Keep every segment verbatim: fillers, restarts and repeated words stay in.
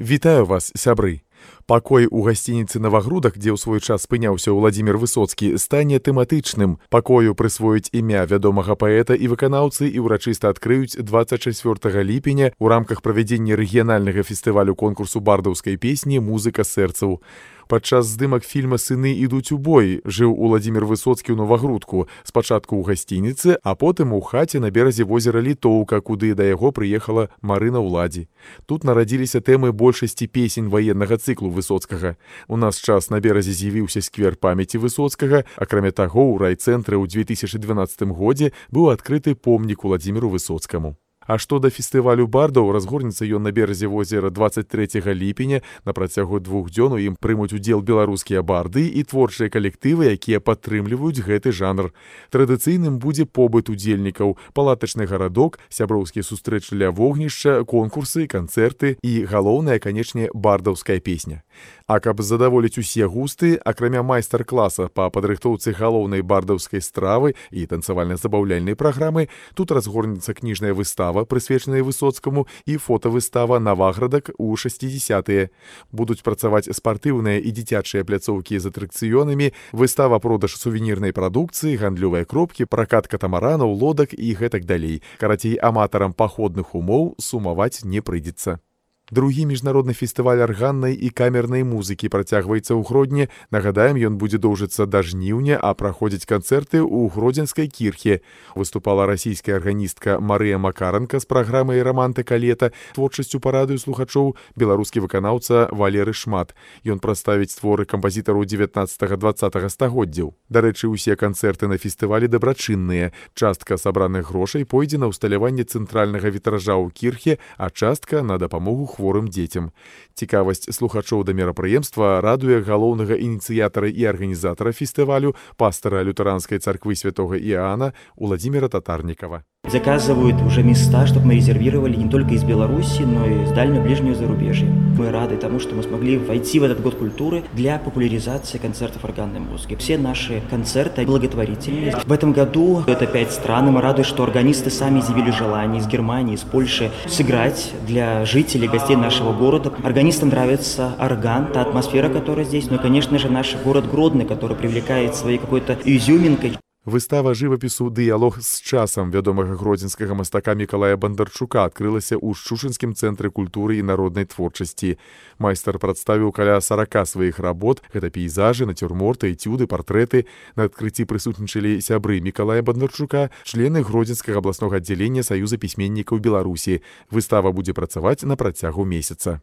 Вітаю вас, сябры! Пакой у гасцініцы «Навагрудак», дзе ў свой час спыняўся Уладзімір Высоцкі, стане тэматычным. Пакою прысвоіць імя вядомага паэта і выканаўцы і ўрачыста адкрыюць дваццаць чацвёртага ліпеня ў рамках правядзення рэгіянальнага фестывалю конкурсу бардаўскай песні «Музыка сэрцаў». Падчас здымак фільма «Сыны ідуць у бой» жыў Уладзімір Высоцкі ў Навагрудку, спачатку ў гасцініцы, а потым у хаце на беразе возера Літоўка, куды да яго прыехала Марына Ўладзі. Тут нарадзіліся тэмы большасці песень ваеннага цыклу Высоцкага. У нас час на беразе з'явіўся сквер памяці Высоцкага, акрамя таго, у райцэнтры ў дзве тысячы дванаццатым годзе быў адкрыты помнік Уладзіміру Высоцкаму. А што да фестывалю бардаў, разгорнецца ён на беразе возера дваццаць трэцяга ліпеня. На працягу двух дзён у ім прымуць удзел беларускія барды і творчыя калектывы, якія падтрымліваюць гэты жанр. Традыцыйным будзе побыт удзельнікаў, палатачны гарадок, сяброўскія сустрэчы ля вогнішча, конкурсы, канцэрты і, галоўнае, канечне, бардаўская песня. А каб задаволіць усе густы, акрамя майстар-класа па падрыхтоўцы галоўнай бардаўскай стравы і танцавальна-забаўляльнай праграмы, тут разгорнецца кніжная выстава, прысвечаная Высоцкаму, і фотавыстава «Наваградак» у шасцідзясятыя. Будуць працаваць спартыўныя і дзіцячыя пляцоўкі з атракцыёнамі, выстава-продаж сувенірнай прадукцыі, гандлёвыя кропкі, пракат катамаранаў, лодак і гэтак далей. Карацей, аматарам паходных умоў сумаваць не прыйдзецца. Другі міжнародны фестываль арганнай і камернай музыкі працягваецца ў Гродні. Нагадаем, ён будзе доўжыцца да жніўня, а праходзяць канцэрты ў Гродзенскай кірхе. Выступала расійская арганістка Марыя Макаранка з праграмай «Рамантыка лета», творчасцю парадуе слухачоў беларускі выканаўца Валеры Шмат. Ён прадставіць творы кампазітараў дзевятнаццатага-дваццатага стагоддзяў. Дарэчы, усе канцэрты на фестывалі дабрачынныя. Частка сабраных грошай пойдзе на ўсталяванне цэнтральнага вітража ў кірхе, а частка на дапамогу хворым дзецям. Цікавасць слухачоў да мерапрыемства радуе галоўнага ініцыятара і арганізатара фестывалю, пастора лютэранскай царквы святого Иоанна Уладзіміра Татарнікава. Заказывают уже места, чтобы мы резервировали не только из Беларуси, но и из дальнего ближнего зарубежья. Мы рады тому, что мы смогли войти в этот год культуры для популяризации концертов органной музыки. Все наши концерты благотворительные. В этом году это пять стран, и мы рады, что органисты сами изъявили желание из Германии, из Польши сыграть для жителей, гостей нашего города. Органистам нравится орган, та атмосфера, которая здесь, но, конечно же, наш город Гродно, который привлекает своей какой-то изюминкой. Выстава жывапісу «Дыялог з часам» вядомага гродзенскага мастака Мікалая Бандарчука адкрылася ў Шчучынскім цэнтры культуры і народнай творчасці. Майстар прадставіў каля сарака сваіх работ, гэта пейзажы, нацюрморты, этюды, партрэты. На адкрыцці прысутнічалі сябры Мікалая Бандарчука, члены Гродзенскага абласнога аддзялення Саюза пісьменнікаў Беларусі. Выстава будзе працаваць на працягу месяца.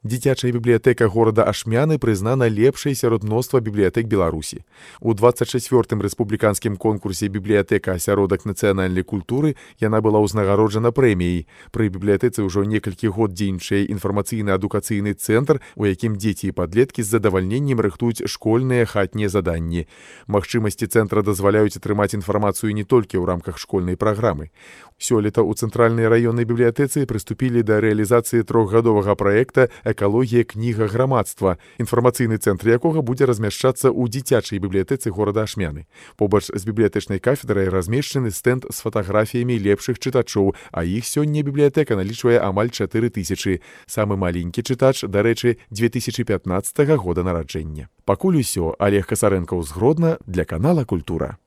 Дзіцячая бібліятэка горада Ашмяны прызнана лепшай сярод мноства бібліятэк Беларусі. У дваццаць чацвёртым рэспубліканскім конкурсе «Бібліятэка асяродак нацыянальнай культуры» яна была ўзнагароджана прэміяй. Пры бібліятэцы ўжо некалькі год дзейнічае інфармацыйна-адукацыйны цэнтр, у якім дзеці і падлеткі з задавальненнем рыхтуюць школьныя хатнія заданні. Магчымасці цэнтра дазваляюць атрымаць інфармацыю не толькі ў рамках школьнай праграмы. Сёлета ў цэнтральнай раённай бібліятэцы прыступілі да рэалізацыі трохгадовага праекта «Экалогія кніга грамадства», інфармацыйны цэнтр якога будзе размяшчацца ў дзіцячай бібліятэцы горада Ашмяны. Побач з бібліятэчнай кафедрай размешчаны стэнд з фатаграфіямі лепшых чытачоў, а іх сёння бібліятэка налічвае амаль чатыры тысячы. Самы маленькі чытач, дарэчы, дзве тысячы пятнаццатага года нараджэння. Пакуль усё. Олег Касарэнкаў з Гродна для канала «Культура».